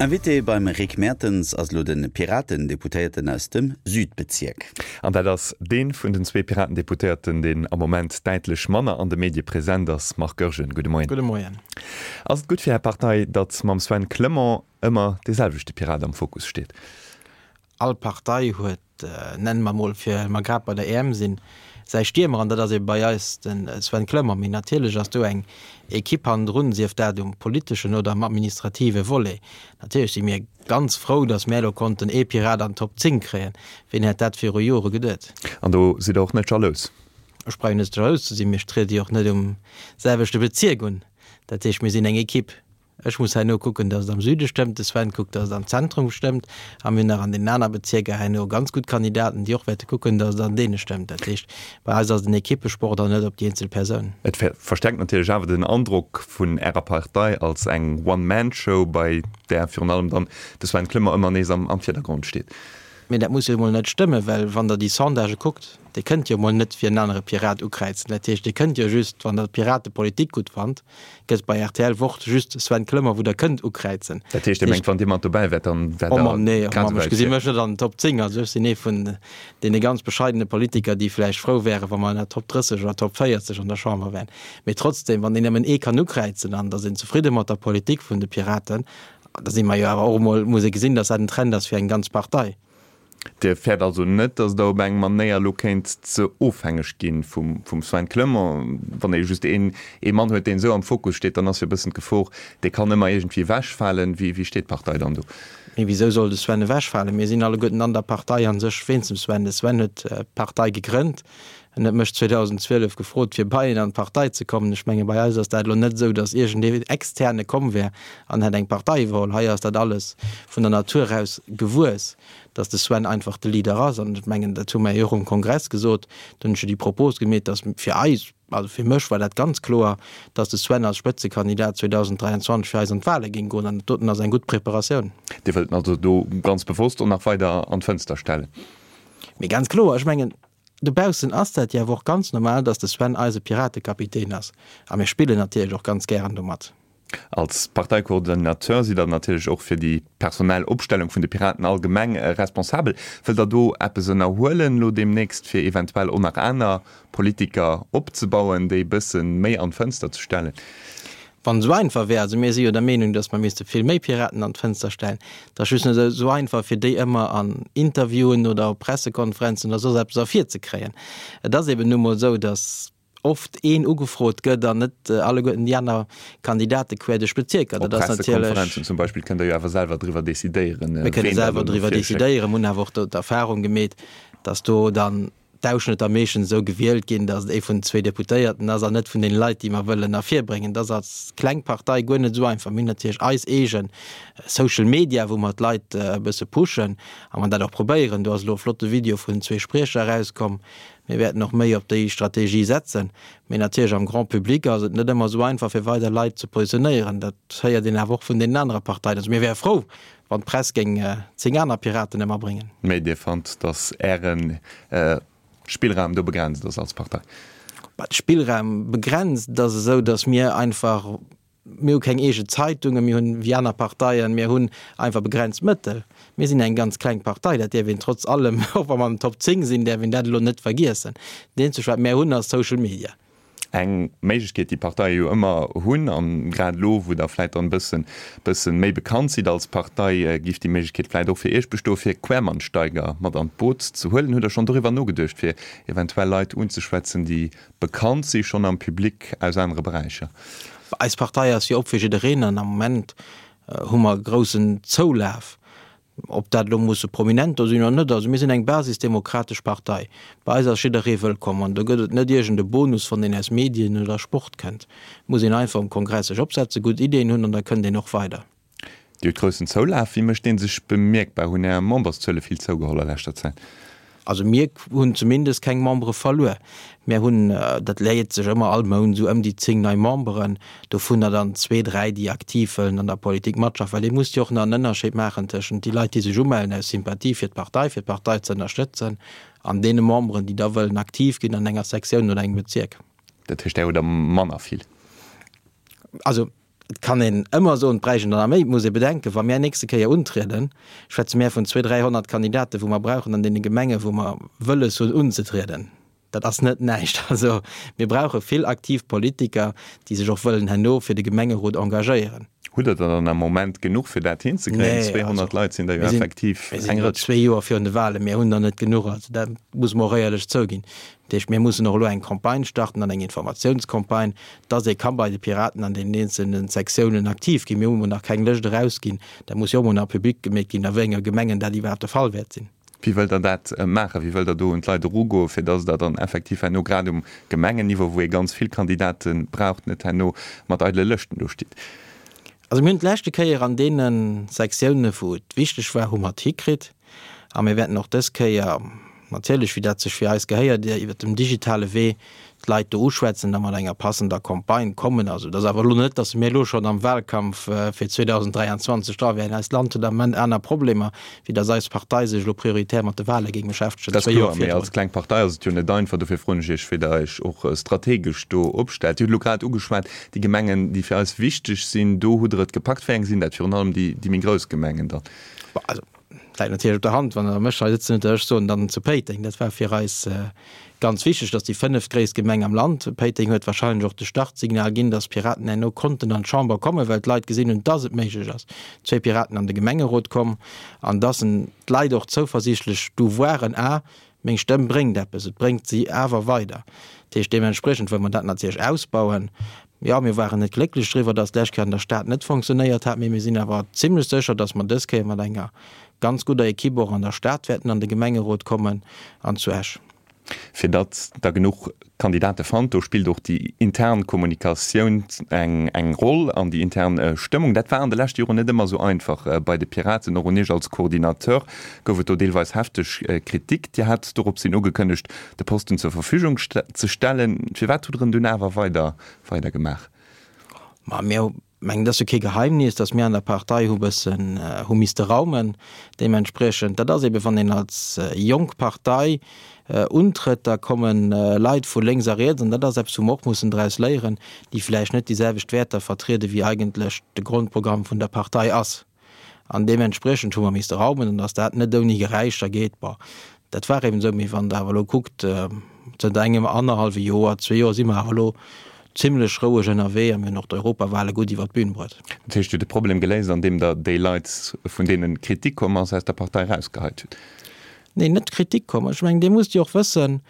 Invité beim Rick Mertens ass elo de Piraten-Deputéierten aus dem Südbezierk. An dat ass dee vun den zwee Piraten-Deputéierten, deen am Moment däitlech manner an de Medie present ass. Marc Goergen, gudde Moien. Gudde Moien. Ass et gutt fir Är Partei, datt mam Sven Clement ëmmer dee selwechte Pirat am Fokus steet? All Partei huet, nenne mer mol, fir mer grad bei der EM sinn, säi Stiermer an dat ass ebe bei eis de Sven Clement. Mee natierlech ass do eng Ekipp hannendrun, sief dat um politeschen oder am administrative Volet. Natierlech si mir ganz frou, datt mär elo konnten ee Pirat an d'Top 10 kréien. Ween hätt dat viru Jore geduet? An do sidd Der och net jalous? Ech brauch jo net jalous ze sinn. Mir triede jo och net um selwechte Bezierk un. Dat heescht, mir sinn eng Ekipp. Ech muss herno kucken, datt et am Süde stëmmt, de Sven kuckt, datt et am Zentrum stëmmt a mir hunn nach an deenen aner Bezierker herno ganz gutt Kandidaten, déi och wäerte kucken, datt et an deene stëmmt. Dat heescht, bei eis ass et en Ekippesport an net op déi eenzel Persoun. Et verstärkt natierlech awer den Androck vun Ärer Partei als eng One-Man-Show, bei där virun allem dann de Sven Clement ëmmer nees am Virdergrond steet. Mee dat muss jo emol net stëmmen, well wann Der déi Sondagë kuckt, Dir kënnt jo emol net fir en anere Pirat ukräizen. Dat heescht, Dir kënnt jo just, wann Der d'Piratepolitik gutt fannt, gëtt bei rtl Wort just Sven Clement, wou Der kënnt ukräizen. Dat heescht, Dir mengt, wann Dir mat dobäi wäert, dann wäert Der nee, oh Mamm, ech gesi mech net an den Top 10. Also ech sinn ee vun deene ganz bescheidene Politiker, déi vläicht frou wären, wa mer an der Top 30 oder Top 40 an der Chamber wären. Mee trotzdem, wann een nëmmen ee kann ukräizen an da sinn zefridde mat der Politik vun de Piraten, da si mer jo awer och emol, muss ee gesinn, datt dat en Trend ass fir eng ganz Partei. Dir fäert also net, datt Der op eng Manéier elo kéint ze ofhängeg gi vum Sven Clement? Wann ee just een ee Mann huet, deen esou am Fokus steet, dann ass jo e bëssen d'Gefor, dee kann ëmmer iergendwéi ewechfalen. Wéi steet d'Partei dann do? Mee wisou soll de Sven ewechfalen? Mir sinn alleguerten an der Partei a sech wéinst dem Sven. De Sven huet d'Partei gegrënnt. En huet mech 2012 gefrot, fir bei en an d'Partei ze kommen. Ech menge bei eis ass dat elo net esou, datt iergendee Externe komm wär an hätt eng Partei iwwerholl. Hei ass dat alles vun der Natur aus gewuess, datt de Sven einfach de Leader ass. An ech mengen, dat hu mer jo och um Kongress gesot, do hunn ech jo déi Propos gemeet, datt fir eis, also fir mech war dat ganz kloer, datt de Sven als Spëtzekandidat 2023 fir eis an d'Wale géing goen. An dat doten ass eng gutt Preparatioun. Dir wëllt en also do ganz bewosst och nach weider an d'Fënster stellen? Mee ganz kloer, ech mengen, Dobaussen ass dat jo awer och ganz normal, dass de Sven eise Piratekapitän ass. A mir spillen natierlech och ganz gären domat. Als Parteikoordinateur sidd der natierlech och fir déi personell Opstellung vun de Piraten allgemeng responsabel. Wëllt der do eppes ënnerhuelen elo deemnächst, fir eventuell och nach aner Politiker opzebauen, déi e bësse méi an d'Fënster ze stellen? Wann et esou einfach wär, also mir si jo der Meenung, datt mer misste vill méi Piraten an d'Fënster stellen, et ass just net esou einfach, fir déi ëmmer an Interviewen oder op Pressekonferenzen oder soss eppes ervirzekréien. Et ass eben nu mol esou, datt oft een ugefrot gëtt an net alleguerten déi aner Kandidate quer duerch d'Bezierker. Op Pressekonferenzen zum Beispill kënnt Der jo awer selwer driwwer decidéieren, Mir kënne selwer driwwer decidéieren, mir hunn awer och do d'Erfahrung gemeet, datt do dann d'Ausschnëtter meeschtens esou gewielt ginn, datt et ee vun zwee Deputéierten ass an net vun deene Leit, déi mer wëllen ervirbréngen. Dat ass als kleng Partei guer net esou einfach. Mir hunn natierlech eis eege Social Media, wou mer d'Leit e bësse pushen a mer dat och probéieren. Do ass elo e flotte Video vun zwee Spriecher erauskomm. Mir wäerten och méi op déi Strategie setzen. Mee natierlech am Grand public ass et net ëmmer esou einfach, fir weider Leit ze positionéieren. Dat héiert een awer och vun deenen anere Parteien. Also mir wäre frou, Wann d'Press géing 10 aner Piraten ëmmerbréngen. Mee Dir fannt, datt Äre Spillraum do begrenzt ass als Partei? Bah, de Spillraum begrenzt, et ass esou, datt mir einfach, mir hu keng eege Zeitungen, mir hunn, wéi aner Parteien, mir hunn einfach begrenzt Mëttel. Mir sinn eng ganz kleng Partei, dat däerf een trotz allem, och wa mer an den Top 10 sinn, däerf een dat elo net vergiessen. Dat eenzegt wat mär hunn, ass Social Media. Eng Méiglechkeet, déi Parteie jo ëmmer hunn, an grad elo, wou Der vläit dann e bëssen, bëssen méi bekannt sidd als Partei, giff déi Méiglechkeet vläit och fir Iech bestoen, fir Quermansteiger mat an d'Boot ze huelen. Hutt Der schonn doriwwer nogeduecht, fir eventuell Leit unzeschwätzen, déi bekannt si schonn am Public aus anere Beräicher? Eis Partei ass jo op fir jiddereen an am Moment hu mer e groussen Zoulaf. Ob dat elo musse Prominenter sinn oder net, also mir sinn eng basisdemokratesch Partei. Bei eis ass jidderee wëllkomm an do gëtt et net iergend e Bonus, wann een aus Medien oder Sport kënnt. Et muss een einfach um Kongress sech opsetzen, gutt Ideeën hunn an da kënnt een och weider. Dir hutt groussen Zoulaf. Wéi mécht dee sech bemierkbar? Hunn Är Memberszuele vill zougeholl a leschter Zäit? Also mir hunn zumindest keng Membere verluer. Mir hunn, dat léiert sech ëmmer all Mount, esou ëm déi 10 nei Memberen, dovunner dann zwee, dräi, déi aktiv wëllen an der Politik matschaffen. Well ee muss jo och nach en Ënnerscheed maachen tëschent déi Leit, déi sech umellen aus Sympathie fir d'Partei, fir d'Partei ze ënnerstëtzen, an deene Memberen, déi da wëllen aktiv ginn an enger Sektioun oder engem Bezierk. Dat heescht, där hutt der manner vill? Also. Et kann een ëmmer soen, et bräicht een der nach méi. Et muss ee bedenken, wa mär nächste Kéier untrieden, schwätze mär vun 200, 300 Kandidaten, wou mer brauchen an deene Gemengen, wou mer wëlles hunn unzetrieden. Dat ass net näischt. Also mir brauche vill aktiv Politiker, déi sech och wëllen herno fir de Gemengerot engagéieren. Hutt Der der dann am Moment genuch, fir dat hinzekréien? 200 Leit sinn der jo effektiv eng Rëtsch. Zwee Joer virun de Wahlen, mir hunn der net genuch. Also dat muss mer och éierlech zouginn. Dat heescht, mir mussen och elo eng Campagne starten an eng Informatiounscampagne, dass ee ka bei de Piraten an deenen eenzelne Sektiounen aktiv ginn. Mir hu mol nach keng Lëscht erausginn. Dat muss jo och mol nach public gemeet ginn, a wéi enger Gemengen dat iwwerhaapt de Fall wäert sinn. Wéi wëllt Der dat maachen? Wéi wëllt Der do un d'Leit erugoen, fir dass Der dann effektiv herno, grad um Gemengenniveau, wou ee ganz vill Kandidate braucht, net herno mat eidele Lëschten do stitt? Also mir hunn d'leschte Kéier an deene Sektiounen, wou et wichteg war, hu mer et hikritt. A mir wäerten och dës Kéier natierlech, wéi dat sech fir eis gehéiert, iwwert dem digitale Wee d'Leit do uschwätzen a mat enger passender Campagne kommen. Also et ass awer elo net, datt mir elo schonn am Wahlkampf fir 2023 dra wären. Eist Land huet am Moment aner Problemer, wéi datt eis Partei sech elo prioritär mat de Wahle géing beschäftegen. Dat ass kloer, mee als kleng Partei ass et jo net einfach. Dofir froen ech Iech, wéi Der Iech och strategesch do opstellt. Dir hutt elo grad ugeschwat, déi Gemengen, déi fir eis wichteg sinn, do hutt Der et gepackt. Wéi eng sinn dat? Virun allem déi méi grouss Gemengen dann? Also läit natierlech op der Hand, wann Der mech hei sëtzen hutt, datt ech soen, dann zu Péiteng. Dat war fir eis ganz wichteg, datt déi fënneftgréisst Gemeng am Land, Péiteng huet wahrscheinlech och de Startsignal ginn, datt d'Piraten herno konnten an d'Chamber kommen, well d'Leit gesinn hunn, datt et méiglech ass. Zwéi Piraten an de Gemengerot komm an datt d'Leit och zouversiichtlech du waren, ah, Meng Stëmm bréngt eppes, et bréngt si awer weider. Dat heescht, deementspriechend wëlle mer dat natierlech ausbauen. Jo, mir waren net glécklech driwwer, dass d'lescht Kéier an der Stad net fonctionnéiert hat, mee mir sinn awer zimlech sécher, dass mer dës Kéier mat enger ganz gudder Equipe och an der Stad wäerten an de Gemengerot kommen an zu Esch. Fir datt Der genuch Kandidate fannt, do spillt och déi intern Kommunikatioun eng eng Roll an déi intern Stëmmung. Dat war an de leschte Joren net ëmmer esou einfach bei de Piraten. Och un Iech als Coordinateur gouf et do deelweis hefteg Kritik. Dir hat doropshin ugekënnegt, de Posten zur Verfügung ze stellen. Firwat hutt Der en dunn awer weider weider gemaach? Ma mir mengen, et ass jo kee Geheimnis, datt mir an der Partei hu bëssen hu misste raumen. Deementspriechend, dat ass ebe wann een als jonk Partei untrëtt, da komme Leit vu lénks a riets, an dat ass eppes, wou mer och mussen draus léieren, déi vläicht net déi selwecht Wäerter vertriede wéi eigentlech de Grondprogramm vun der Partei ass. An deementspriechend hu mer misste raumen, an datt dat net ouni Geräischer geet, bon, dat war eben esou. Mee wann Der awer elo kuckt, zënter engem annerhallwe Joer, zwee Joer si mer awer elo zimlech roueg ënnerwee a mir hunn och d'Europawale gutt iwwer d'Bün bruet. Dat heescht, Dir hutt de Problem geléist, andeem Der déi Leit, vun deene Kritik komm ass, aus der Partei erausgeheit hutt? Neen, net Kritik komm. Ech mengen, Dir musst jo och wëssen,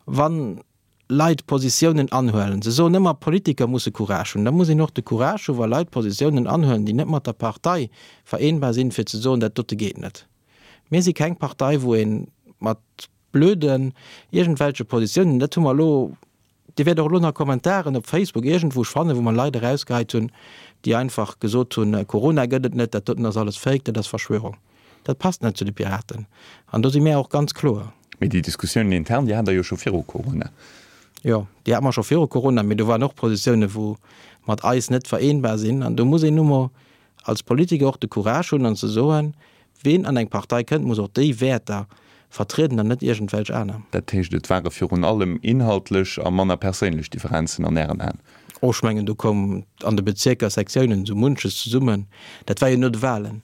wann Leit Positiounen anhuelen, se soen ëmmer, Politiker musse Courage hunn, da muss een och de Courage hu wa Leit Positiounen anhuelen, déi net mat der Partei vereenbar sinn, fir ze soen, dat dote geet net. Mir si keng Partei, wou ee mat blöden iergendwelche Positiounen, dat hu mer elo, Dir wäert och elo nach Kommentaren op Facebook iergendwou fannen, wou mer Leit erausgeheit hunn, déi einfach gesot hunn, Corona gëtt et net, dat doten ass alles Fake, dat ass Verschwörung. Dat passt net zu de Piraten. An do si mär och ganz kloer. Mee déi Diskussiounen intern, déi hat Der jo scho viru Corona. Jo, déi hate mer scho viru Corona, mee do waren och Positiounen, wou mat eis net vereenbar sinn. An do muss een nu mol als Politiker och de Courage hunn an ze soen, Ween an eng Partei kënnt, muss och déi Wäerter vertrieden an net iergendwelch aner. Dat heescht, et ware virun allem inhaltlech a manner perséinlech Differenzen an Ären Aen? Oh, ech mengen, do koum an de Bezierker, Sektiounen esou munches zesummen. Dat war jo no de Wahlen.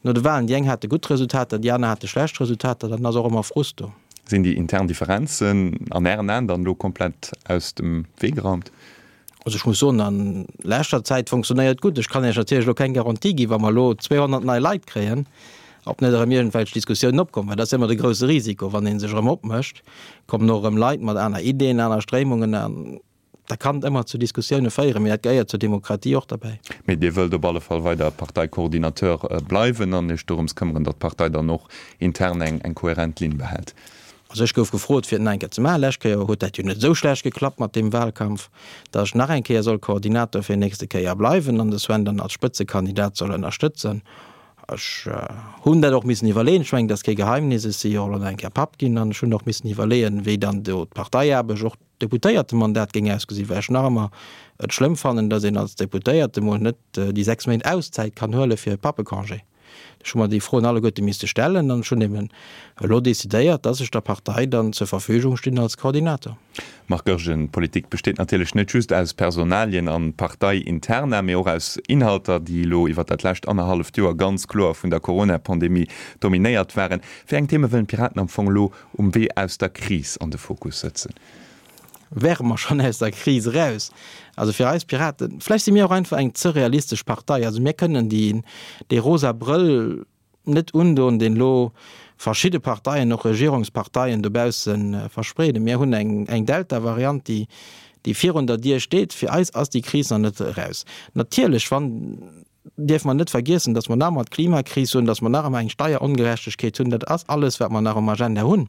No de Wahlen, déi eng hate gutt Resultater, déi aner hate schlecht Resultater, dann ass och ëmmer Frust do. Sinn déi intern Differenzen an Ären Aen dann elo komplett aus dem Wee geraumt? Also ech muss soen, a leschter Zäit fonctionnéiert gutt. Ech kann Iech natierlech elo keng Garantie ginn, wa mer elo 200 nei Leit kréien, ob net erëm iergendwelch Diskussiounen opkommen, well dat ass jo ëmmer de grouse Risiko, wann ee sech erëm opmécht, kommen och erëm Leit mat aner Ideen, aner Stréimungen an da kann et ëmmer zu Diskussioune féieren, mee dat gehéiert zur Demokratie och derbäi. Mee Dir wëllt op alle Fall weider Parteicoordinateur bleiwen an Iech dorëms këmmeren, datt d'Partei dann och intern eng kohärent Linn behält? Also ech gouf gefrot, fir et nach eng Kéier ze maachen. Lescht Kéier huet dat jo net esou schlecht geklappt mat deem Wahlkampf, datt ech nach eng Kéier soll Koordinator fir nächste Kéier bleiwen an de Sven dann als Spëtzekandidat soll ënnerstëtzen. Ech hunn dat och missen iwwerleeën. Ech mengen, dat ass kee Geheimnis, ech si jo och elo nach eng Kéier Papp ginn an ech hunn och missen iwwerleeën, wéi dann do d'Parteiaarbecht, och d'Deputéiertemandat géing ausgesinn, well ech nach ëmmer et schlëmm fannen, datt een als Deputéierte mol net déi 6 Méint Auszäit kann huele fir e Pappecongé. Ech hu mer déi Froen alleguerte misste stellen an ech hunn eben elo decidéiert, dass ech der Partei dann zur Verfügung stinn als Koordinator. Marc Goergen, Politik besteet natierlech net just aus Personalien an Parteiinterna, mee och aus Inhalter, déi elo iwwer dat lescht annerhalleft Joer ganz kloer vun der Corona-Pandemie dominéiert waren. Wéi eng Theme wëllen d'Piraten am Fong elo um Wee aus der Kris an de Fokus sëtzen? Wäre mer schonn aus der Kris eraus? Also fir eis Piraten, vläicht si mir och einfach eng ze realistesch Partei, also mir kënnen déi dee rosa Brëll net undoen, deen elo verschidde Parteien, och Regierungsparteien dobausse verspreeden. Mir hunn eng eng Delta-Variant, déi déi virun der Dier steet. Fir eis ass déi Kris nach net eraus. Natierlech, wann dierfe mer net vergiessen, datt mer nach ëmmer d'Klimakris hunn, datt mer nach ëmmer eng Steierongerechtegkeet hunn. Dat ass alles, wat mer nach um Agenda hunn.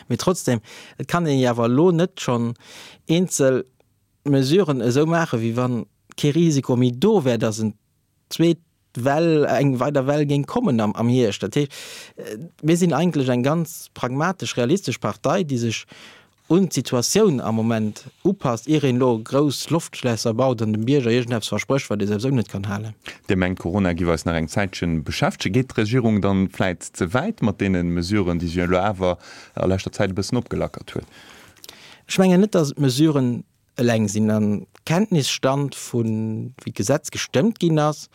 Mee trotzdem, et kann een jo awer elo net schonn eenzel Mesuren esou maachen, wéi wa kee Risiko méi do wär, datt en zweet Well, eng weider Well géing kommen am Hierscht. Dat heescht, mir sinn eigentlech eng ganz pragmatesch, realistesch Partei, déi sech un d'Situatioun am Moment upasst, ier een elo grouss Loftschlässer baut an dem Bierger iergendeppes versprécht, wat ee souwisou net kann halen. Dir mengt, Corona giff eis nach eng Zäitchen beschäftegen. Geet d'Regierung dann vläit ze wäit mat deene Mesuren, déi si elo awer a leschter Zäit e bëssen opgelackert huet? Ech mengen net, datt et d'Mesuren eleng sinn. Am Kenntnisstand vu wéi d'Gesetz gestëmmt ginn ass,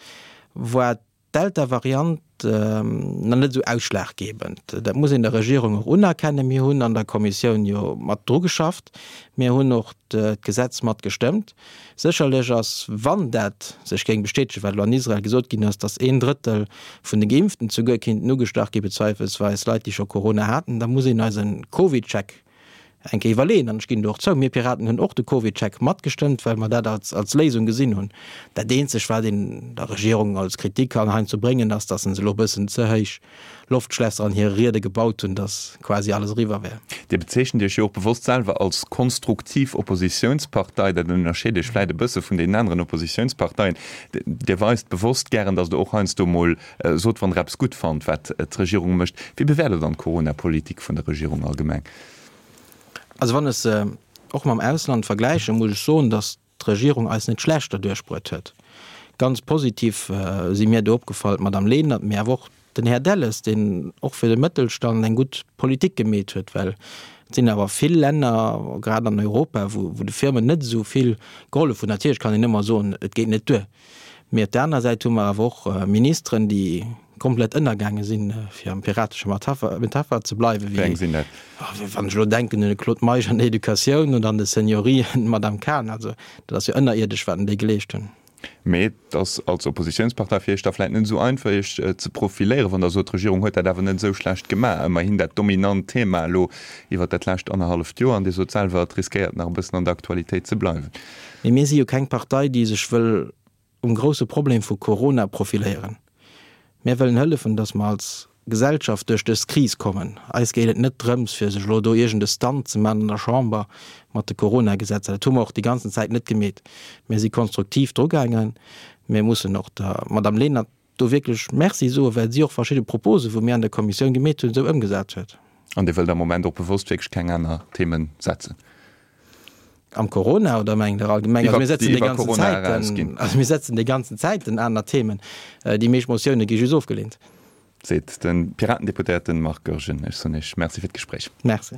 war d'Delta-Variant nach net esou ausschlaggebend. Dat muss een der Regierung och unerkennen. Mir hunn an der Kommissioun jo mat dru geschafft. Mir hunn och d'Gesetz mat gestëmmt. Sécherlech ass, wann dat sech géing bestätegen, wat elo an Israel gesot ginn ass, datt een Drëttel vun de Geimpften souguer kéinten ugestach gi bezweifelsweis Leit, déi scho Corona haten, da muss een eise CovidCheck eng Kéier iwwerleeën, an ech ginn do och zou, mir Piraten hunn och de CovidCheck matgestëmmt, well mer dat als, als Léisung gesinn hunn. Dat eenzeg, wat een der Regierung als Kritik kann heiansdo bréngen, ass, datt se elo e bëssen ze héich Loftschlässer an hire Riede gebaut hunn, datt quasi alles eriwwer wär. Dir bezeechent Iech jo och bewosst selwer als konstruktiv Oppositiounspartei. Dat ënnerscheet Iech vläit e bësse vun deenen aneren Oppositiounsparteien. Dir weist bewosst gären, datt Der och heiansdo mol Sot, wann Der eppes gutt fannt, wat d'Regierung mécht. Wéi bewäert Der dann d'Corona-Politik vun der Regierung allgemeng? Also wann ech se och mam Ausland vergläichen, muss ech soen, datt d'Regierung eis net schlecht derduerch bruet huet. Ganz positiv si mir do opgefall d'Madame Lenert, mee awer och den Här Delles, deen och fir de Mëttelstand eng gutt Politik gemeet huet, well et sinn awer vill Länner, grad an Europa, wou de Firmen net esou vill gehollef hunn. Natierlech kann een ëmmer soen, et geet net duer. Mee op der aner Säit hu mer awer och Ministeren, déi komplett ënnergaange sinn, fir am piratesche Metapher ze bleiwen, wéi eng sinn dat? Wann ech elo denken un de Claude Meisch an der Educatioun oder an de Seniorien, d'Madame Cahen, also dat ass jo ënnerierdesch, wat déi geleescht hunn. Mee et ass als Oppositiounspartei fir Iech da vläicht net esou einfach, Iech ze profiléieren, wann Der sot, d'Regierung huet dat awer net esou schlecht gemaach. Ëmmerhin dat dominant Thema elo iwwert dat lescht annerhalleft Joer. An Dir sot selwer, et riskéiert nach e bëssen an der Aktualitéit ze bleiwen. Mee mir si jo keng Partei, déi sech wëll um grousse Problem vu Corona profiléieren. Mir wëllen hëllefen, datt mer als Gesellschaft duerch dës Kris kommen. Eis geet et net drëms, fir sech elo do iergend e Stunt ze maachen an der Chamber mat de Corona-Gesetzer. Dat hu mer och déi ganzen Zäit net gemeet. Mir si konstruktiv drugaangen. Mir mussen och der Madame Lenert do wierklech Merci soen, well si och verschidde Proposen, wou mir an der Kommissioun gemeet hunn, esou ëmgesat huet. An Dir wëllt am Moment och bewosst wierklech keng aner Themen setzen? Am Corona oder mengt Der allgemeng? Also mir setzen déi ganzen Zäiten, also mir setzen déi ganzen Zäiten aner Themen. Déi meescht Motioune gi just ofgeleent. Seet de Piratendeputéierten Marc Goergen. Ech soen Iech Merci fir d'Gespréich. Merci.